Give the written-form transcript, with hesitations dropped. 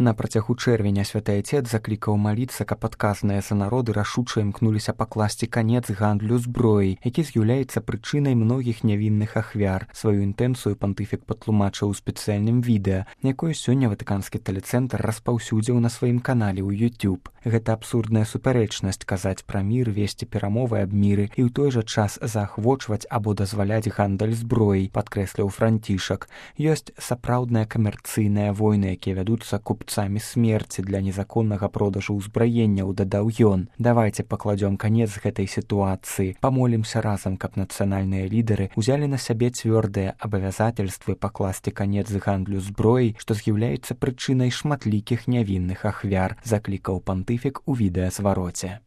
На працягу чэрвеня святы Айцец заклікаў маліцца, каб адказныя за народы рашуча імкнуліся пакласці канец гандлю зброяй, які з'яўляецца прычынай многіх нявінных ахвяр. Сваю інтэнцыю пантыфік патлумачыў у спецыяльным відэа, якое сёння ватыканскі тэлецэнтр распаўсюдзіў на сваім канале ў YouTube. Гэта абсурдная супярэчнасць казаць пра мір, весці перамовы аб міры і ў той жа час заахвочваць або дазваляць гандаль зброяй, падкрэсліў Францішак. Ёсць сапраўдныя камерцыйныя войны, якія вядуцца купцамі смерці для незаконнага продажу ўзбраенняў, дадаў ён. Давайце пакладзём канец гэтай сітуацыі. Памолімся разам, каб нацыянальныя лідары узялі на сябе цвёрдыя абавязательствы пакласці канец гандлю зброяй, што з'яўляецца прычынай шматлікіх нявінных ахвяр, заклікаў пантыфік у відэазвароце.